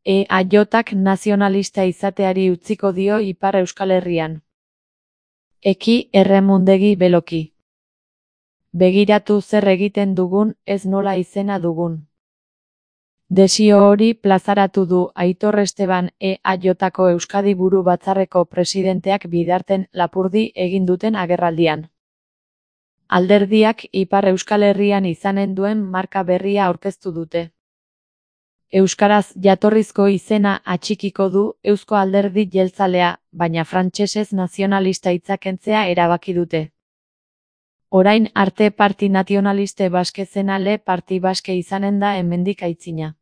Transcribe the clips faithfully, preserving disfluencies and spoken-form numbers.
E A J-ak nazionalista izateari utziko dio Ipar Euskal Herrian. Eki erremundegi beloki. Begiratu zer egiten dugun, ez nola izena dugun. Desio hori plazaratu du Aitor Esteban E A J-ko Euskadi Buru Batzarreko presidenteak Bidarten Lapurdi egin duten agerraldian. Alderdiak Ipar Euskal Herrian izanen duen marka berria aurkeztu dute. Euskaraz jatorrizko izena atxikiko du Eusko Alderdi Jeltzalea, baina frantsesez nazionalista hitza kentzea erabaki dute. Orain arte Parti Nazionaliste Baske zena Le Parti Baske izanen da hemendik aitzina.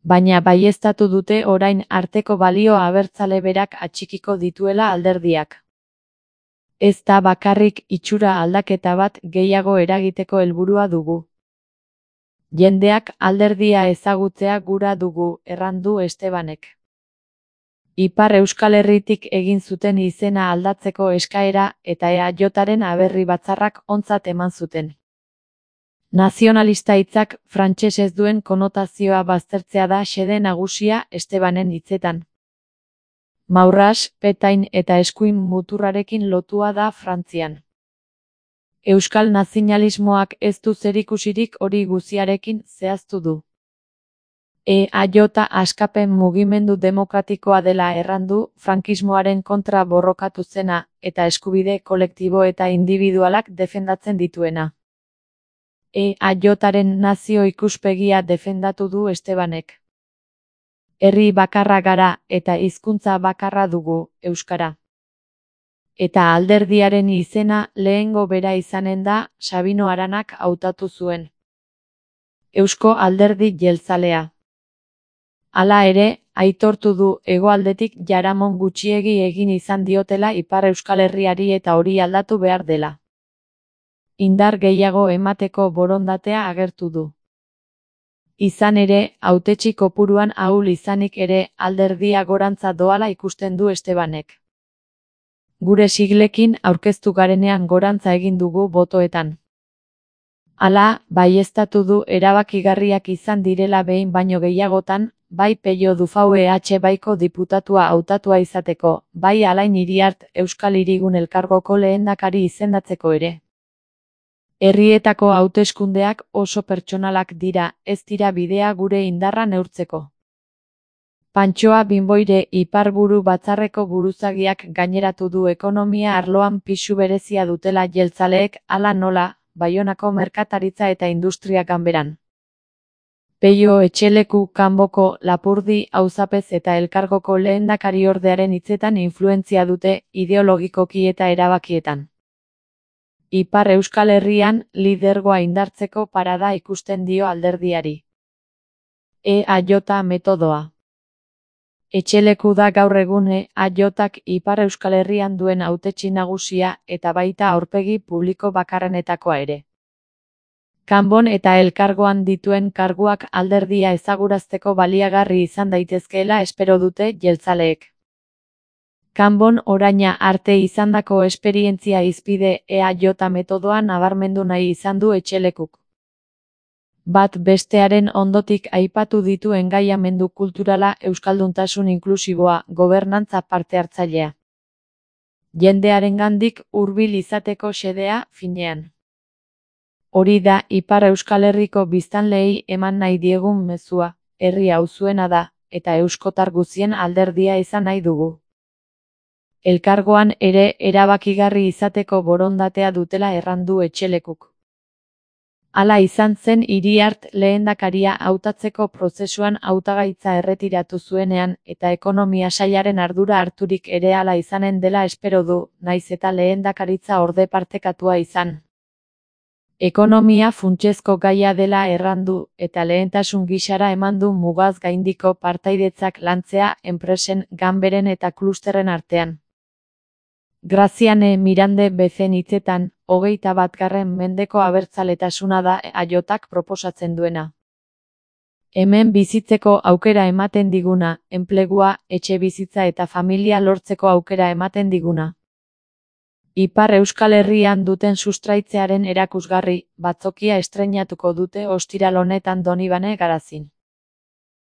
Baina baieztatu dute orain arteko balio abertzale berak atxikiko dituela alderdiak. Ez da bakarrik itxura aldaketa bat gehiago eragiteko helburua dugu. Jendeak alderdia ezagutzea gura dugu, errandu Estebanek. Ipar Euskal Herritik egin zuten izena aldatzeko eskaera eta E A J-aren aberri batzarrak ontzat eman zuten. Nazionalista hitzak frantsesez duen konotazioa baztertzea da xede nagusia Estebanen hitzetan. Maurras, petain eta eskuin muturrarekin lotua da Frantzian. Euskal nazionalismoak ez du zerikusirik hori guziarekin zehaztu du. E A J askapen mugimendu demokratikoa dela errandu, frankismoaren kontra borrokatu zena eta eskubide kolektibo eta indibidualak defendatzen dituena. E A J-aren nazio ikuspegia defendatu du Estebanek. Herri bakarra gara eta hizkuntza bakarra dugu, euskara. Eta alderdiaren izena lehengo bera izanen da Sabino Aranak hautatu zuen. Eusko Alderdi Jeltzalea. Hala ere, aitortu du hegoaldetik jaramon gutxiegi egin izan diotela Ipar Euskal Herriari eta hori aldatu behar dela. Indar gehiago emateko borondatea agertu du. Izan ere, hautetsi kopuruan ahul izanik ere alderdia gorantza doala ikusten du Estebanek. Gure siglekin aurkeztu garenean gorantza egin dugu botoetan. Hala, baieztatu du erabakigarriak izan direla behin baino gehiagotan, bai Pello Dufau E H baiko diputatua hautatua izateko, bai Alain Iriart Euskal Hirigun Elkargoko lehendakari izendatzeko ere. Herrietako hauteskundeak oso pertsonalak dira, ez dira bidea gure indarra neurtzeko. Pantxoa Binboire Ipar Buru Batzarreko buruzagiak gaineratu du ekonomia arloan pisu berezia dutela jeltzaleek, hala nola, Baionako merkataritza eta industria ganberan. Pello Etxeleku kanboko Lapurdi auzapez eta elkargoko lehendakariordearen hitzetan influentzia dute ideologikoki eta erabakietan. Ipar Euskal Herrian lidergoa indartzeko parada ikusten dio alderdiari. E A J metodoa. Etxeleku da gaur egun E A J-ak Ipar Euskal Herrian duen hautetsi nagusia eta baita aurpegi publiko bakarrenetakoa ere. Kanbon eta elkargoan dituen karguak alderdia ezagurazteko baliagarri izan daitezkeela espero dute jeltzaleek. Kanbon oraina arte izandako esperientzia hizpide E A J metodoa nabarmendu nahi izan du Etxelekuk. Bat bestearen ondotik aipatu ditu engaiamendu kulturala, euskalduntasun inklusiboa, gobernantza parte hartzailea. Jendearengandik hurbil izateko xedea, finean. Hori da Ipar Euskal Herriko biztanleei eman nahi diegun mezua, herri hau zuena da, eta euskotar guzien alderdia izan nahi dugu. Elkargoan ere erabakigarri izateko borondatea dutela errandu Etxelekuk. Hala izan zen Iriart lehendakaria hautatzeko prozesuan hautagaitza erretiratu zuenean eta ekonomia sailaren ardura harturik ere hala izanen dela espero du, naiz eta lehendakaritza orde partekatua izan. Ekonomia funtsezko gaia dela errandu eta lehentasun gisara eman du mugaz gaindiko partaidetzak lantzea enpresen, ganberen eta klusterren artean. Graziane Mirande bezen hitzetan, hogeita batgarren mendeko abertzaletasuna da E A J-ak proposatzen duena. Hemen bizitzeko aukera ematen diguna, enplegua, etxebizitza eta familia lortzeko aukera ematen diguna. Ipar Euskal Herrian duten sustraitzearen erakusgarri, batzokia estreinatuko dute ostiral honetan Donibane Garazin.